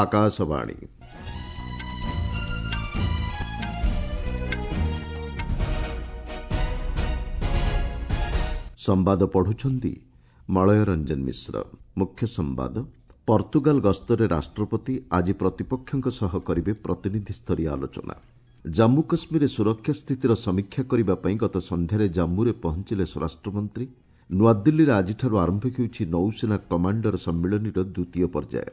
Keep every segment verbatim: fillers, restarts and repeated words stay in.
ଆକାଶବାଣୀ। ସମ୍ବାଦ ପଢୁଛନ୍ତି ମଳୟ ରଞ୍ଜନ ମିଶ୍ର। ମୁଖ୍ୟ ସମ୍ବାଦ। ପର୍ତ୍ତୁଗାଲ ଗସ୍ତରେ ରାଷ୍ଟ୍ରପତି ଆଜି ପ୍ରତିପକ୍ଷଙ୍କ ସହ କରିବେ ପ୍ରତିନିଧିସ୍ତରୀୟ ଆଲୋଚନା। ଜାମ୍ମୁ କାଶ୍ମୀରରେ ସୁରକ୍ଷା ସ୍ଥିତିର ସମୀକ୍ଷା କରିବା ପାଇଁ ଗତ ସନ୍ଧ୍ୟାରେ ଜାମ୍ମୁରେ ପହଞ୍ଚିଲେ ସ୍ୱରାଷ୍ଟ୍ରମନ୍ତ୍ରୀ। ନୂଆଦିଲ୍ଲୀରେ ଆଜିଠାରୁ ଆରମ୍ଭ ହେଉଛି ନୌସେନା କମାଣ୍ଡର ସମ୍ମିଳନୀର ଦ୍ୱିତୀୟ ପର୍ଯ୍ୟାୟ।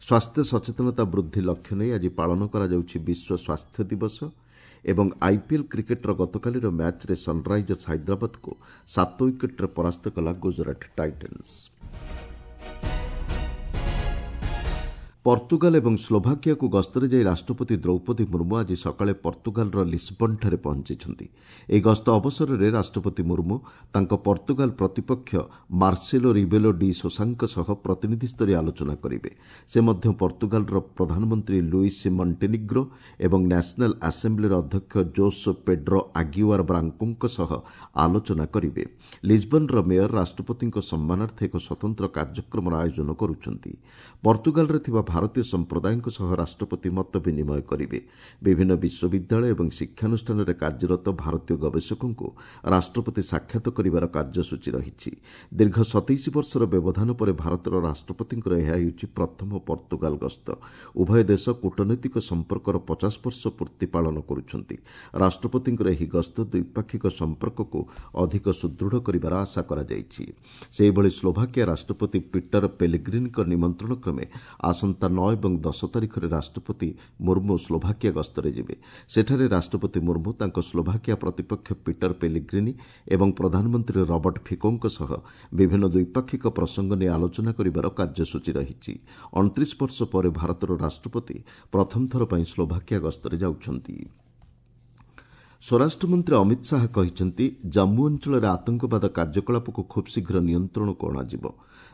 ସ୍ୱାସ୍ଥ୍ୟ ସଚେତନତା ବୃଦ୍ଧି ଲକ୍ଷ୍ୟ ନେଇ ଆଜି ପାଳନ କରାଯାଉଛି ବିଶ୍ୱ ସ୍ୱାସ୍ଥ୍ୟ ଦିବସ। ଏବଂ ଆଇପିଏଲ୍ କ୍ରିକେଟ୍ର ଗତକାଲିର ମ୍ୟାଚ୍ରେ ସନ୍ରାଇଜର୍ସ ହାଇଦ୍ରାବାଦକୁ ସାତ ୱିକେଟ୍ରେ ପରାସ୍ତ କଲା ଗୁଜରାଟ ଟାଇଟନ୍ସ। ପର୍ତ୍ତୁଗାଲ ଏବଂ ସ୍ଲୋଭାକିଆକୁ ଗସ୍ତରେ ଯାଇ ରାଷ୍ଟ୍ରପତି ଦ୍ରୌପଦୀ ମୁର୍ମୁ ଆଜି ସକାଳେ ପର୍ତ୍ତୁଗାଲର ଲିସବନ୍ଠାରେ ପହଞ୍ଚିଛନ୍ତି। ଏହି ଗସ୍ତ ଅବସରରେ ରାଷ୍ଟ୍ରପତି ମୁର୍ମୁ ତାଙ୍କ ପର୍ତ୍ତୁଗାଲ ପ୍ରତିପକ୍ଷ ମାର୍ସେଲୋ ରିବେଲୋ ଡି ସୋସାଙ୍କ ସହ ପ୍ରତିନିଧିସ୍ତରୀୟ ଆଲୋଚନା କରିବେ। ସେ ମଧ୍ୟ ପର୍ତ୍ତୁଗାଲର ପ୍ରଧାନମନ୍ତ୍ରୀ ଲୁଇସ୍ ମଣ୍ଟେନିଗ୍ରୋ ଏବଂ ନ୍ୟାସନାଲ୍ ଆସେମ୍ବ୍ଲିର ଅଧ୍ୟକ୍ଷ ଜୋସ୍ ପେଡ୍ରୋ ଆଗିୱାର ବ୍ରାଙ୍କୋଙ୍କ ସହ ଆଲୋଚନା କରିବେ। ଲିସବନ୍ର ମେୟର ରାଷ୍ଟ୍ରପତିଙ୍କ ସମ୍ମାନାର୍ଥେ ଏକ ସ୍ୱତନ୍ତ୍ର କାର୍ଯ୍ୟକ୍ରମର ଆୟୋଜନ କରୁଛନ୍ତି। ପର୍ତ୍ତୁଗାଲରେ ଥିବା ଭାରତୀୟ ସମ୍ପ୍ରଦାୟଙ୍କ ସହ ରାଷ୍ଟ୍ରପତି ମତ ବିନିମୟ କରିବେ। ବିଭିନ୍ନ ବିଶ୍ୱବିଦ୍ୟାଳୟ ଏବଂ ଶିକ୍ଷାନୁଷ୍ଠାନରେ କାର୍ଯ୍ୟରତ ଭାରତୀୟ ଗବେଷକଙ୍କୁ ରାଷ୍ଟ୍ରପତି ସାକ୍ଷାତ କରିବାର କାର୍ଯ୍ୟସୂଚୀ ରହିଛି। ଦୀର୍ଘ ସତେଇଶ ବର୍ଷର ବ୍ୟବଧାନ ପରେ ଭାରତର ରାଷ୍ଟ୍ରପତିଙ୍କର ଏହା ହେଉଛି ପ୍ରଥମ ପର୍ତ୍ତୁଗାଲ ଗସ୍ତ। ଉଭୟ ଦେଶ କୂଟନୈତିକ ସମ୍ପର୍କର ପଚାଶ ବର୍ଷ ପୂର୍ତ୍ତି ପାଳନ କରୁଛନ୍ତି। ରାଷ୍ଟ୍ରପତିଙ୍କର ଏହି ଗସ୍ତ ଦ୍ୱିପାକ୍ଷିକ ସମ୍ପର୍କକୁ ଅଧିକ ସୁଦୃଢ଼ କରିବାର ଆଶା କରାଯାଇଛି। ସେହିଭଳି ସ୍ଲୋଭାକିଆ ରାଷ୍ଟ୍ରପତି ପିଟର ପେଲିଗ୍ରିନିଙ୍କ ନିମନ୍ତ୍ରଣ କ୍ରମେ ଆସନ୍ତା ନଅ ଏବଂ ଦଶ ତାରିଖରେ ରାଷ୍ଟ୍ରପତି ମୁର୍ମୁ ସ୍ଲୋଭାକିଆ ଗସ୍ତରେ ଯିବେ। ସେଠାରେ ରାଷ୍ଟ୍ରପତି ମୁର୍ମୁ ତାଙ୍କ ସ୍ଲୋଭାକିଆ ପ୍ରତିପକ୍ଷ ପିଟର ପେଲିଗ୍ରିନି ଏବଂ ପ୍ରଧାନମନ୍ତ୍ରୀ ରବର୍ଟ ଫିକୋଙ୍କ ସହ ବିଭିନ୍ନ ଦ୍ୱିପାକ୍ଷିକ ପ୍ରସଙ୍ଗ ନେଇ ଆଲୋଚନା କରିବାର କାର୍ଯ୍ୟସୂଚୀ ରହିଛି। ଅଣତିରିଶ ବର୍ଷ ପରେ ଭାରତର ରାଷ୍ଟ୍ରପତି ପ୍ରଥମ ଥର ପାଇଁ ସ୍ଲୋଭାକିଆ ଗସ୍ତରେ ଯାଉଛନ୍ତି। ସ୍ୱରାଷ୍ଟ୍ରମନ୍ତ୍ରୀ ଅମିତ ଶାହା କହିଛନ୍ତି, ଜାମ୍ମୁ ଅଞ୍ଚଳରେ ଆତଙ୍କବାଦ କାର୍ଯ୍ୟକଳାପକୁ ଖୁବ୍ ଶୀଘ୍ର ନିୟନ୍ତ୍ରଣକୁ ଅଣାଯିବ।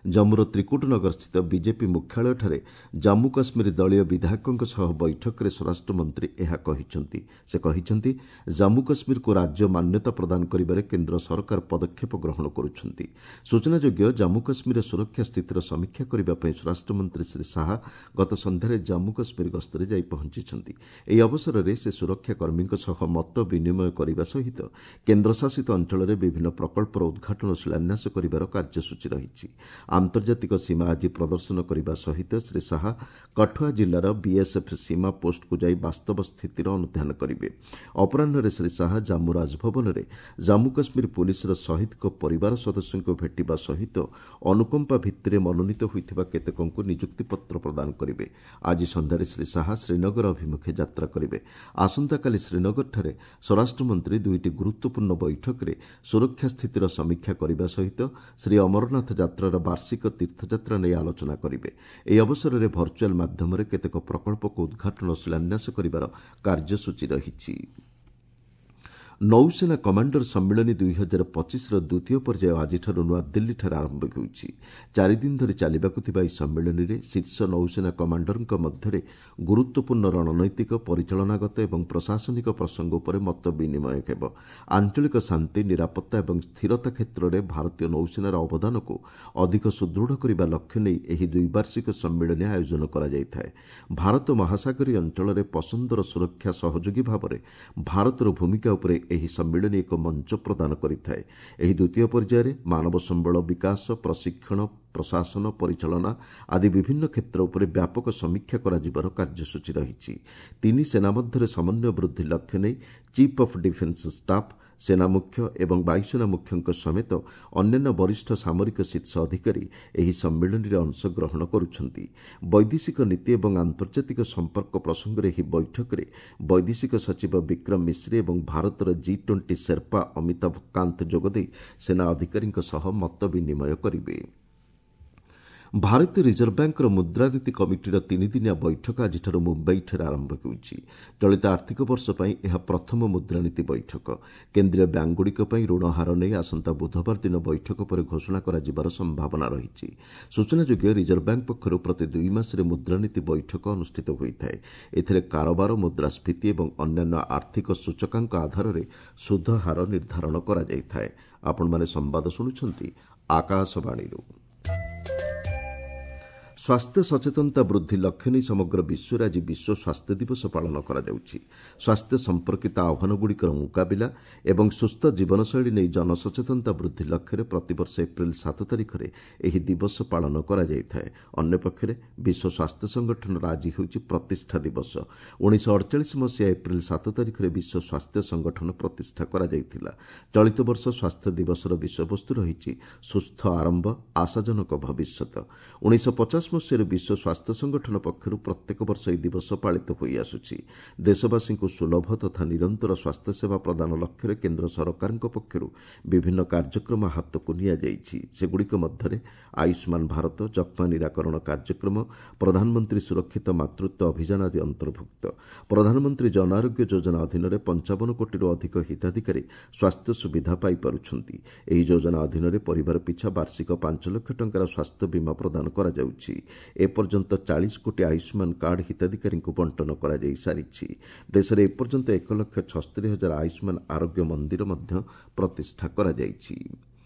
ଜାମ୍ମୁର ତ୍ରିକୁଟନଗରସ୍ଥିତ ବିଜେପି ମୁଖ୍ୟାଳୟଠାରେ ଜାମ୍ମୁ କାଶ୍ମୀର ଦଳୀୟ ବିଧାୟକଙ୍କ ସହ ବୈଠକରେ ସ୍ୱରାଷ୍ଟ୍ରମନ୍ତ୍ରୀ ଏହା କହିଛନ୍ତି। ସେ କହିଛନ୍ତି, ଜାମ୍ମୁ କାଶ୍ମୀରକୁ ରାଜ୍ୟ ମାନ୍ୟତା ପ୍ରଦାନ କରିବାରେ କେନ୍ଦ୍ର ସରକାର ପଦକ୍ଷେପ ଗ୍ରହଣ କରୁଛନ୍ତି। ସୂଚନାଯୋଗ୍ୟ, ଜାମ୍ମୁ କାଶ୍ମୀରର ସୁରକ୍ଷା ସ୍ଥିତିର ସମୀକ୍ଷା କରିବା ପାଇଁ ସ୍ୱରାଷ୍ଟ୍ରମନ୍ତ୍ରୀ ଶ୍ରୀ ଶାହା ଗତ ସନ୍ଧ୍ୟାରେ ଜାମ୍ମୁ କାଶ୍ମୀର ଗସ୍ତରେ ଯାଇ ପହଞ୍ଚିଛନ୍ତି। ଏହି ଅବସରରେ ସେ ସୁରକ୍ଷା କର୍ମୀଙ୍କ ସହ ମତ ବିନିମୟ କରିବା ସହିତ କେନ୍ଦ୍ରଶାସିତ ଅଞ୍ଚଳରେ ବିଭିନ୍ନ ପ୍ରକଳ୍ପର ଉଦ୍ଘାଟନ ଓ ଶିଳାନ୍ୟାସ କରିବାର କାର୍ଯ୍ୟସୂଚୀ ରହିଛି। ଆନ୍ତର୍ଜାତିକ ସୀମା ଆଜି ପ୍ରଦର୍ଶନ କରିବା ସହିତ ଶ୍ରୀ ଶାହା କଠୁଆ ଜିଲ୍ଲାର ବିଏସ୍ଏଫ୍ ସୀମା ପୋଷ୍ଟକୁ ଯାଇ ବାସ୍ତବ ସ୍ଥିତିର ଅନୁଧ୍ୟାନ କରିବେ। ଅପରାହ୍ନରେ ଶ୍ରୀ ଶାହା ଜାମ୍ମୁ ରାଜଭବନରେ ଜାମ୍ମୁ କାଶ୍ମୀର ପୁଲିସର ଶହୀଦଙ୍କ ପରିବାର ସଦସ୍ୟଙ୍କୁ ଭେଟିବା ସହିତ ଅନୁକମ୍ପା ଭିତ୍ତିରେ ମନୋନୀତ ହୋଇଥିବା କେତେକଙ୍କୁ ନିଯୁକ୍ତିପତ୍ର ପ୍ରଦାନ କରିବେ। ଆଜି ସନ୍ଧ୍ୟାରେ ଶ୍ରୀ ଶାହା ଶ୍ରୀନଗର ଅଭିମୁଖେ ଯାତ୍ରା କରିବେ। ଆସନ୍ତାକାଲି ଶ୍ରୀନଗରଠାରେ ସ୍ୱରାଷ୍ଟ୍ରମନ୍ତ୍ରୀ ଦୁଇଟି ଗୁରୁତ୍ୱପୂର୍ଣ୍ଣ ବୈଠକରେ ସୁରକ୍ଷା ସ୍ଥିତିର ସମୀକ୍ଷା କରିବା ସହିତ ଶ୍ରୀ ଅମରନାଥ ଯାତ୍ରାର ବାର୍ଷିକ ତୀର୍ଥଯାତ୍ରା ନେଇ ଆଲୋଚନା କରିବେ। ଏହି ଅବସରରେ ଭର୍ଚୁଆଲ୍ ମାଧ୍ୟମରେ କେତେକ ପ୍ରକଳ୍ପକୁ ଉଦ୍ଘାଟନ ଓ ଶିଳାନ୍ୟାସ କରିବାର କାର୍ଯ୍ୟସୂଚୀ ରହିଛି। ନୌସେନା କମାଣ୍ଡର ସମ୍ମିଳନୀ ଦୁଇ ହଜାର ପଚିଶର ଦ୍ୱିତୀୟ ପର୍ଯ୍ୟାୟ ଆଜିଠାରୁ ନୂଆଦିଲ୍ଲୀଠାରେ ଆରମ୍ଭ ହେଉଛି। ଚାରିଦିନ ଧରି ଚାଲିବାକୁ ଥିବା ଏହି ସମ୍ମିଳନୀରେ ଶୀର୍ଷ ନୌସେନା କମାଣ୍ଡରଙ୍କ ମଧ୍ୟରେ ଗୁରୁତ୍ୱପୂର୍ଣ୍ଣ ରଣନୈତିକ, ପରିଚାଳନାଗତ ଏବଂ ପ୍ରଶାସନିକ ପ୍ରସଙ୍ଗ ଉପରେ ମତ ବିନିମୟ ହେବ। ଆଞ୍ଚଳିକ ଶାନ୍ତି, ନିରାପତ୍ତା ଏବଂ ସ୍ଥିରତା କ୍ଷେତ୍ରରେ ଭାରତୀୟ ନୌସେନାର ଅବଦାନକୁ ଅଧିକ ସୁଦୃଢ଼ କରିବା ଲକ୍ଷ୍ୟ ନେଇ ଏହି ଦ୍ୱିବାର୍ଷିକ ସମ୍ମିଳନୀ ଆୟୋଜନ କରାଯାଇଥାଏ। ଭାରତ ମହାସାଗରୀୟ ଅଞ୍ଚଳରେ ପସନ୍ଦର ସୁରକ୍ଷା ସହଯୋଗୀ ଭାବରେ ଭାରତର ଭୂମିକା ଉପରେ ଏହି ସମ୍ମିଳନୀ ଏକ ମଞ୍ଚ ପ୍ରଦାନ କରିଥାଏ। ଏହି ଦ୍ୱିତୀୟ ପର୍ଯ୍ୟାୟରେ ମାନବ ସମ୍ବଳ ବିକାଶ, ପ୍ରଶିକ୍ଷଣ, ପ୍ରଶାସନ, ପରିଚାଳନା ଆଦି ବିଭିନ୍ନ କ୍ଷେତ୍ର ଉପରେ ବ୍ୟାପକ ସମୀକ୍ଷା କରାଯିବାର କାର୍ଯ୍ୟସୂଚୀ ରହିଛି। ତିନି ସେନା ମଧ୍ୟରେ ସମନ୍ୱୟ ବୃଦ୍ଧି ଲକ୍ଷ୍ୟ ନେଇ ଚିଫ୍ ଅଫ୍ ଡିଫେନ୍ସ ଷ୍ଟାଫ୍, ସେନା ମୁଖ୍ୟ ଏବଂ ବାୟୁସେନା ମୁଖ୍ୟଙ୍କ ସମେତ ଅନ୍ୟାନ୍ୟ ବରିଷ୍ଠ ସାମରିକ ଶୀର୍ଷ ଅଧିକାରୀ ଏହି ସମ୍ମିଳନୀରେ ଅଂଶଗ୍ରହଣ କରୁଛନ୍ତି। ବୈଦେଶିକ ନୀତି ଏବଂ ଆନ୍ତର୍ଜାତିକ ସମ୍ପର୍କ ପ୍ରସଙ୍ଗରେ ଏହି ବୈଠକରେ ବୈଦେଶିକ ସଚିବ ବିକ୍ରମ ମିଶ୍ରି ଏବଂ ଭାରତର ଜି ଟ୍ୱେଣ୍ଟି ସେର୍ପା ଅମିତାଭ କାନ୍ତ ଯୋଗଦେଇ ସେନା ଅଧିକାରୀଙ୍କ ସହ ମତ ବିନିମୟ କରିବେ। ଭାରତୀୟ ରିଜର୍ଭ ବ୍ୟାଙ୍କର ମୁଦ୍ରାନୀତି କମିଟିର ତିନିଦିନିଆ ବୈଠକ ଆଜିଠାରୁ ମୁମ୍ବାଇଠାରେ ଆରମ୍ଭ ହେଉଛି। ଚଳିତ ଆର୍ଥିକ ବର୍ଷ ପାଇଁ ଏହା ପ୍ରଥମ ମୁଦ୍ରାନୀତି ବୈଠକ। କେନ୍ଦ୍ରୀୟ ବ୍ୟାଙ୍କଗୁଡ଼ିକ ପାଇଁ ଋଣ ହାର ନେଇ ଆସନ୍ତା ବୁଧବାର ଦିନ ବୈଠକ ପରେ ଘୋଷଣା କରାଯିବାର ସମ୍ଭାବନା ରହିଛି। ସୂଚନାଯୋଗ୍ୟ, ରିଜର୍ଭ ବ୍ୟାଙ୍କ ପକ୍ଷରୁ ପ୍ରତି ଦୁଇ ମାସରେ ମୁଦ୍ରାନୀତି ବୈଠକ ଅନୁଷ୍ଠିତ ହୋଇଥାଏ। ଏଥିରେ କାରବାର, ମୁଦ୍ରାସ୍ଫୀତି ଏବଂ ଅନ୍ୟାନ୍ୟ ଆର୍ଥିକ ସୂଚକାଙ୍କ ଆଧାରରେ ସୁଧ ହାର ନିର୍ଦ୍ଧାରଣ କରାଯାଇଥାଏ। ଆପଣମାନେ ସମ୍ବାଦ ଶୁଣୁଛନ୍ତି ଆକାଶବାଣୀରୁ। ସ୍ୱାସ୍ଥ୍ୟ ସଚେତନତା ବୃଦ୍ଧି ଲକ୍ଷ୍ୟ ନେଇ ସମଗ୍ର ବିଶ୍ୱରେ ଆଜି ବିଶ୍ୱ ସ୍ୱାସ୍ଥ୍ୟ ଦିବସ ପାଳନ କରାଯାଉଛି। ସ୍ୱାସ୍ଥ୍ୟ ସମ୍ପର୍କିତ ଆହ୍ୱାନଗୁଡ଼ିକର ମୁକାବିଲା ଏବଂ ସୁସ୍ଥ ଜୀବନଶୈଳୀ ନେଇ ଜନସଚେତନତା ବୃଦ୍ଧି ଲକ୍ଷ୍ୟରେ ପ୍ରତିବର୍ଷ ଏପ୍ରିଲ ସାତ ତାରିଖରେ ଏହି ଦିବସ ପାଳନ କରାଯାଇଥାଏ। ଅନ୍ୟପକ୍ଷରେ ବିଶ୍ୱ ସ୍ୱାସ୍ଥ୍ୟ ସଂଗଠନର ଆଜି ହେଉଛି ପ୍ରତିଷ୍ଠା ଦିବସ। ଉଣେଇଶହ ଅଡ଼ଚାଳିଶ ମସିହା ଏପ୍ରିଲ ସାତ ତାରିଖରେ ବିଶ୍ୱ ସ୍ୱାସ୍ଥ୍ୟ ସଂଗଠନ ପ୍ରତିଷ୍ଠା କରାଯାଇଥିଲା। ଚଳିତ ବର୍ଷ ସ୍ୱାସ୍ଥ୍ୟ ଦିବସର ବିଷୟବସ୍ତୁ ରହିଛି ସୁସ୍ଥ ଆରମ୍ଭ, ଆଶାଜନକ ଭବିଷ୍ୟତ। ଉଣେଇଶହ ପଚାଶ ମସିହାରୁ ବିଶ୍ୱ ସ୍ୱାସ୍ଥ୍ୟ ସଂଗଠନ ପକ୍ଷରୁ ପ୍ରତ୍ୟେକ ବର୍ଷ ଏହି ଦିବସ ପାଳିତ ହୋଇଆସୁଛି। ଦେଶବାସୀଙ୍କୁ ସୁଲଭ ତଥା ନିରନ୍ତର ସ୍ୱାସ୍ଥ୍ୟସେବା ପ୍ରଦାନ ଲକ୍ଷ୍ୟରେ କେନ୍ଦ୍ର ସରକାରଙ୍କ ପକ୍ଷରୁ ବିଭିନ୍ନ କାର୍ଯ୍ୟକ୍ରମ ହାତକୁ ନିଆଯାଇଛି। ସେଗୁଡ଼ିକ ମଧ୍ୟରେ ଆୟୁଷ୍ମାନ ଭାରତ, ଯକ୍ଷ୍ମା ନିରାକରଣ କାର୍ଯ୍ୟକ୍ରମ, ପ୍ରଧାନମନ୍ତ୍ରୀ ସୁରକ୍ଷିତ ମାତୃତ୍ୱ ଅଭିଯାନ ଆଦି ଅନ୍ତର୍ଭୁକ୍ତ। ପ୍ରଧାନମନ୍ତ୍ରୀ ଜନ ଆରୋଗ୍ୟ ଯୋଜନା ଅଧୀନରେ ପଞ୍ଚାବନ କୋଟିରୁ ଅଧିକ ହିତାଧିକାରୀ ସ୍ୱାସ୍ଥ୍ୟ ସୁବିଧା ପାଇପାରୁଛନ୍ତି। ଏହି ଯୋଜନା ଅଧୀନରେ ପରିବାର ପିଛା ବାର୍ଷିକ ପାଞ୍ଚ ଲକ୍ଷ ଟଙ୍କାର ସ୍ୱାସ୍ଥ୍ୟ ବୀମା ପ୍ରଦାନ କରାଯାଉଛି। ଏପର୍ଯ୍ୟନ୍ତ ଚାଳିଶ କୋଟି ଆୟୁଷ୍ମାନ କାର୍ଡ ହିତାଧିକାରୀଙ୍କୁ ବଣ୍ଟନ କରାଯାଇ ସାରିଛି। ଦେଶରେ ଏପର୍ଯ୍ୟନ୍ତ ଏକ ଲକ୍ଷ ଛସ୍ତରୀ ହଜାର ଆୟୁଷ୍ମାନ ଆରୋଗ୍ୟ ମନ୍ଦିର ମଧ୍ୟ ପ୍ରତିଷ୍ଠା କରାଯାଇଛି।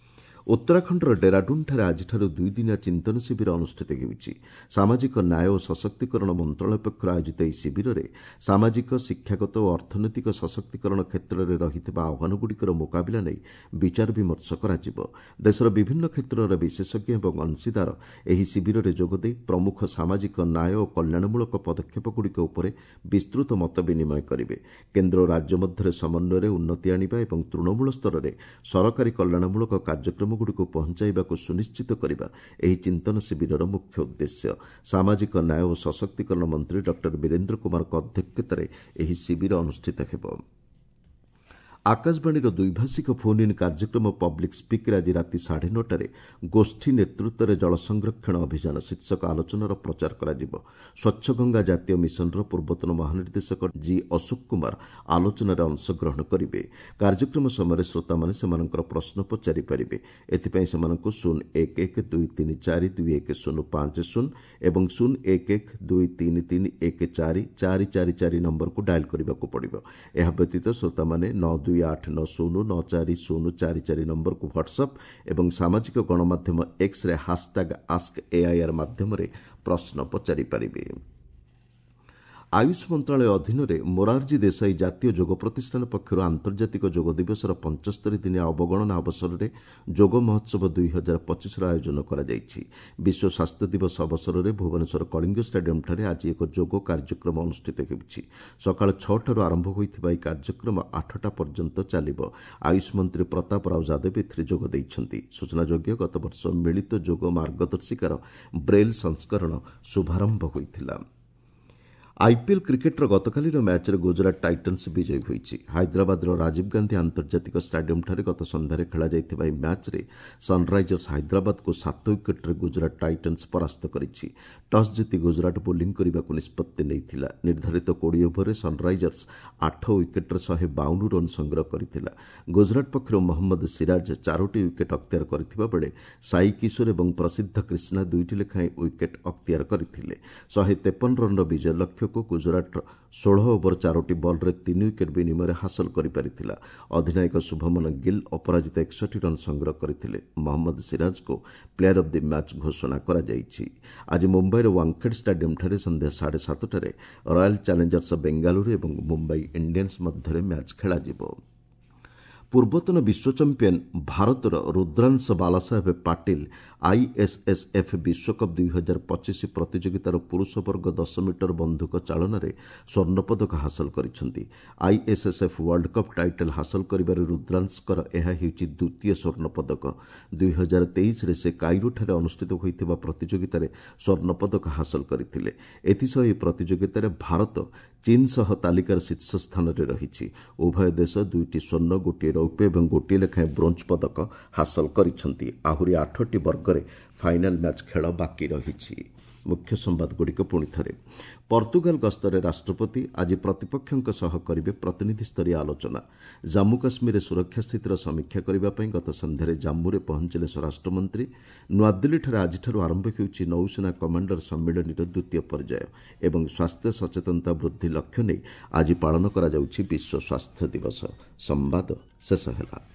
ଉତ୍ତରାଖଣ୍ଡର ଡେରାଡୁନ୍ଠାରେ ଆଜିଠାରୁ ଦୁଇଦିନିଆ ଚିନ୍ତନ ଶିବିର ଅନୁଷ୍ଠିତ ହେଉଛି। ସାମାଜିକ ନ୍ୟାୟ ଓ ସଶକ୍ତିକରଣ ମନ୍ତ୍ରଣାଳୟ ପକ୍ଷରୁ ଆୟୋଜିତ ଏହି ଶିବିରରେ ସାମାଜିକ, ଶିକ୍ଷାଗତ ଓ ଅର୍ଥନୈତିକ ସଶକ୍ତିକରଣ କ୍ଷେତ୍ରରେ ରହିଥିବା ଆହ୍ୱାନଗୁଡ଼ିକର ମୁକାବିଲା ନେଇ ବିଚାର ବିମର୍ଶ କରାଯିବ। ଦେଶର ବିଭିନ୍ନ କ୍ଷେତ୍ରର ବିଶେଷଜ୍ଞ ଏବଂ ଅଂଶୀଦାର ଏହି ଶିବିରରେ ଯୋଗଦେଇ ପ୍ରମୁଖ ସାମାଜିକ ନ୍ୟାୟ ଓ କଲ୍ୟାଣମୂଳକ ପଦକ୍ଷେପଗୁଡ଼ିକ ଉପରେ ବିସ୍ତୃତ ମତ ବିନିମୟ କରିବେ। କେନ୍ଦ୍ର ଓ ରାଜ୍ୟ ମଧ୍ୟରେ ସମନ୍ୱୟରେ ଉନ୍ନତି ଆଣିବା ଏବଂ ତୃଣମୂଳ ସ୍ତରରେ ସରକାରୀ କଲ୍ୟାଣମୂଳକ କାର୍ଯ୍ୟକ୍ରମ ଗୁଡ଼ିକୁ ପହଞ୍ଚାଇବାକୁ ସୁନିଶ୍ଚିତ କରିବା ଏହି ଚିନ୍ତନ ଶିବିରର ମୁଖ୍ୟ ଉଦ୍ଦେଶ୍ୟ। ସାମାଜିକ ନ୍ୟାୟ ଓ ସଶକ୍ତିକରଣ ମନ୍ତ୍ରୀ ଡକ୍ଟର ବୀରେନ୍ଦ୍ର କୁମାରଙ୍କ ଅଧ୍ୟକ୍ଷତାରେ ଏହି ଶିବିର ଅନୁଷ୍ଠିତ ହେବ। ଆକାଶବାଣୀର ଦ୍ୱିଭାଷିକ ଫୋନ୍ ଇନ୍ କାର୍ଯ୍ୟକ୍ରମ ପବ୍ଲିକ୍ ସ୍ପିକ୍ରେ ଆଜି ରାତି ସାଢ଼େ ନଅଟାରେ ଗୋଷ୍ଠୀ ନେତୃତ୍ୱରେ ଜଳ ସଂରକ୍ଷଣ ଅଭିଯାନ ଶୀର୍ଷକ ଆଲୋଚନାର ପ୍ରଚାର କରାଯିବ। ସ୍ୱଚ୍ଛ ଗଙ୍ଗା ଜାତୀୟ ମିଶନର ପୂର୍ବତନ ମହାନିର୍ଦ୍ଦେଶକ ଜି ଅଶୋକ କୁମାର ଆଲୋଚନାରେ ଅଂଶଗ୍ରହଣ କରିବେ। କାର୍ଯ୍ୟକ୍ରମ ସମୟରେ ଶ୍ରୋତାମାନେ ସେମାନଙ୍କର ପ୍ରଶ୍ନ ପଚାରିପାରିବେ। ଏଥିପାଇଁ ସେମାନଙ୍କୁ ଶୂନ ଏକ ଏକ ଦୁଇ ତିନି ଚାରି ଦୁଇ ଏକ ଶୂନ ପାଞ୍ଚ ଶୂନ ଏବଂ ଶୂନ ଏକ ଏକ ଦୁଇ ତିନି ତିନି ଏକ ଚାରି ଚାରି ଚାରି ଚାରି ନମ୍ବରକୁ ଡାଏଲ୍ କରିବାକୁ ପଡ଼ିବ। ଏହା ବ୍ୟତୀତ ଶ୍ରୋତାମାନେ ନଅ ଦୁଇ ଆଠ ନଅ ଶୂନ ନଅ ଚାରି ଶୂନ ଚାରି ଚାରି ନମ୍ବରକୁ ହ୍ୱାଟ୍ସଆପ୍ ଏବଂ ସାମାଜିକ ଗଣମାଧ୍ୟମ ଏକ୍ସରେ ହାସଟ୍ୟାଗ୍ ଆସ୍କ ଏଆଇଆର୍ ମାଧ୍ୟମରେ ପ୍ରଶ୍ନ ପଚାରିପାରିବେ। ଆୟୁଷ ମନ୍ତ୍ରଣାଳୟ ଅଧୀନରେ ମୋରାରଜୀ ଦେଶାଇ ଜାତୀୟ ଯୋଗ ପ୍ରତିଷ୍ଠାନ ପକ୍ଷରୁ ଆନ୍ତର୍ଜାତିକ ଯୋଗ ଦିବସର ପଞ୍ଚସ୍ତରୀ ଦିନିଆ ଅବଗଣନା ଅବସରରେ ଯୋଗ ମହୋତ୍ସବ ଦୁଇ ହଜାର ପଚିଶର ଆୟୋଜନ କରାଯାଇଛି। ବିଶ୍ୱ ସ୍ୱାସ୍ଥ୍ୟ ଦିବସ ଅବସରରେ ଭୁବନେଶ୍ୱର କଳିଙ୍ଗ ଷ୍ଟାଡିୟମ୍ଠାରେ ଆଜି ଏକ ଯୋଗ କାର୍ଯ୍ୟକ୍ରମ ଅନୁଷ୍ଠିତ ହେଉଛି। ସକାଳ ଛଅଟାରୁ ଆରମ୍ଭ ହୋଇଥିବା ଏହି କାର୍ଯ୍ୟକ୍ରମ ଆଠଟା ପର୍ଯ୍ୟନ୍ତ ଚାଲିବ। ଆୟୁଷ ମନ୍ତ୍ରୀ ପ୍ରତାପ ରାଓ ଯାଦବ ଏଥିରେ ଯୋଗ ଦେଇଛନ୍ତି। ସୂଚନାଯୋଗ୍ୟ, ଗତବର୍ଷ ମିଳିତ ଯୋଗ ମାର୍ଗଦର୍ଶିକାର ବ୍ରେଲ୍ ସଂସ୍କରଣ ଶୁଭାରମ୍ଭ ହୋଇଥିଲା। ଆଇପିଏଲ୍ କ୍ରିକେଟ୍ର ଗତକାଲିର ମ୍ୟାଚ୍ରେ ଗୁଜରାଟ ଟାଇଟନ୍ସ ବିଜୟୀ ହୋଇଛି। ହାଇଦ୍ରାବାଦର ରାଜୀବ ଗାନ୍ଧୀ ଆନ୍ତର୍ଜାତିକ ଷ୍ଟାଡିୟମ୍ଠାରେ ଗତ ସନ୍ଧ୍ୟାରେ ଖେଳାଯାଇଥିବା ଏହି ମ୍ୟାଚ୍ରେ ସନ୍ରାଇଜର୍ସ ହାଇଦ୍ରାବାଦକୁ ସାତ ୱିକେଟ୍ରେ ଗୁଜରାଟ ଟାଇଟନ୍ସ ପରାସ୍ତ କରିଛି। ଟସ୍ ଜିତି ଗୁଜରାଟ ବୋଲିଂ କରିବାକୁ ନିଷ୍ପତ୍ତି ନେଇଥିଲା। ନିର୍ଦ୍ଧାରିତ କୋଡ଼ିଏ ଓଭରରେ ସନ୍ରାଇଜର୍ସ ଆଠ ୱିକେଟ୍ରେ ଶହେ ବାଉନ ରନ୍ ସଂଗ୍ରହ କରିଥିଲା। ଗୁଜରାଟ ପକ୍ଷରୁ ମହମ୍ମଦ ସିରାଜ ଚାରୋଟି ୱିକେଟ୍ ଅକ୍ତିଆର କରିଥିବା ବେଳେ ସାଇ କିଶୋର ଏବଂ ପ୍ରସିଦ୍ଧ କ୍ରିଷ୍ଣା ଦୁଇଟି ଲେଖାଏଁ ୱିକେଟ୍ ଅକ୍ତିଆର କରିଥିଲେ। ଶହେ ତେପନ ରନ୍ର ବିଜୟ ଲକ୍ଷ୍ୟକୁ ଗୁଜରାଟର ଷୋହଳ ଓଭର ଚାରୋଟି ବଲ୍ରେ ତିନି ୱିକେଟ୍ ବିନିମୟରେ ହାସଲ କରିପାରିଥିଲା। ଅଧିନାୟକ ଶୁଭମନ ଗିଲ୍ ଅପରାଜିତ ଏକଷଠି ରନ୍ ସଂଗ୍ରହ କରିଥିଲେ। ମହମ୍ମଦ ସିରାଜଙ୍କୁ ପ୍ଲେୟାର ଅଫ୍ the match ଘୋଷଣା କରାଯାଇଛି। ଆଜି ମୁମ୍ବାଇର ୱାଙ୍ଗଖେଡ୍ ଷ୍ଟାଡିୟମ୍ଠାରେ ସନ୍ଧ୍ୟା ସାଢ଼େ ସାତଟାରେ ରୟାଲ୍ ଚ୍ୟାଲେଞ୍ଜର୍ସ ବେଙ୍ଗାଲୁରୁ ଏବଂ ମୁମ୍ବାଇ ଇଣ୍ଡିଆନ୍ସ ମଧ୍ୟରେ ମ୍ୟାଚ୍ ଖେଳାଯିବ। ପୂର୍ବତନ ବିଶ୍ୱ ଚାମ୍ପିୟନ୍ ଭାରତର ରୁଦ୍ରାଂଶ ବାଲାସାହେବ ପାଟିଲ ଆଇଏସ୍ଏସ୍ଏଫ୍ ବିଶ୍ୱକପ୍ ଦୁଇ ହଜାର ପଚିଶ ପ୍ରତିଯୋଗିତାର ପୁରୁଷ ବର୍ଗ ଦଶ ମିଟର ବନ୍ଧୁକ ଚାଳନାରେ ସ୍ୱର୍ଣ୍ଣପଦକ ହାସଲ କରିଛନ୍ତି। ଆଇଏସ୍ଏସ୍ଏଫ୍ ୱାର୍ଲଡ କପ୍ ଟାଇଟଲ୍ ହାସଲ କରିବାରେ ରୁଦ୍ରାଂଶଙ୍କର ଏହା ହେଉଛି ଦ୍ୱିତୀୟ ସ୍ୱର୍ଣ୍ଣପଦକ। ଦୁଇ ହଜାର ତେଇଶରେ ସେ କାଇରୋଠାରେ ଅନୁଷ୍ଠିତ ହୋଇଥିବା ପ୍ରତିଯୋଗିତାରେ ସ୍ୱର୍ଣ୍ଣପଦକ ହାସଲ କରିଥିଲେ। ଏଥିସହ ଏହି ପ୍ରତିଯୋଗିତାରେ ଭାରତ ଚୀନ୍ ସହ ତାଲିକାର ଶୀର୍ଷ ସ୍ଥାନରେ ରହିଛି। ଉଭୟ ଦେଶ ଦୁଇଟି ସ୍ୱର୍ଣ୍ଣ, ଗୋଟିଏ ରୌପ୍ୟ ଏବଂ ଗୋଟିଏ ଲେଖାଏଁ ବ୍ରୋଞ୍ଜ ପଦକ ହାସଲ କରିଛନ୍ତି। ଆହୁରି ଆଠଟି ବର୍ଗରେ ଫାଇନାଲ୍ ମ୍ୟାଚ୍ ଖେଳ ବାକି ରହିଛି। ମୁଖ୍ୟ ସମ୍ବାଦଗୁଡ଼ିକ ପୁଣି ଥରେ। ପର୍ତ୍ତୁଗାଲ ଗସ୍ତରେ ରାଷ୍ଟ୍ରପତି ଆଜି ପ୍ରତିପକ୍ଷଙ୍କ ସହ କରିବେ ପ୍ରତିନିଧିସ୍ତରୀୟ ଆଲୋଚନା। ଜାମ୍ମୁ କାଶ୍ମୀରରେ ସୁରକ୍ଷା ସ୍ଥିତିର ସମୀକ୍ଷା କରିବା ପାଇଁ ଗତ ସନ୍ଧ୍ୟାରେ ଜାମ୍ମୁରେ ପହଞ୍ଚିଲେ ସ୍ୱରାଷ୍ଟ୍ରମନ୍ତ୍ରୀ। ନୂଆଦିଲ୍ଲୀଠାରେ ଆଜିଠାରୁ ଆରମ୍ଭ ହେଉଛି ନୌସେନା କମାଣ୍ଡର ସମ୍ମିଳନୀର ଦ୍ୱିତୀୟ ପର୍ଯ୍ୟାୟ ଏବଂ ସ୍ୱାସ୍ଥ୍ୟ ସଚେତନତା ବୃଦ୍ଧି ଲକ୍ଷ୍ୟ ନେଇ ଆଜି ପାଳନ କରାଯାଉଛି ବିଶ୍ୱ ସ୍ୱାସ୍ଥ୍ୟ ଦିବସ। ସମ୍ବାଦ ଶେଷ ହେଲା।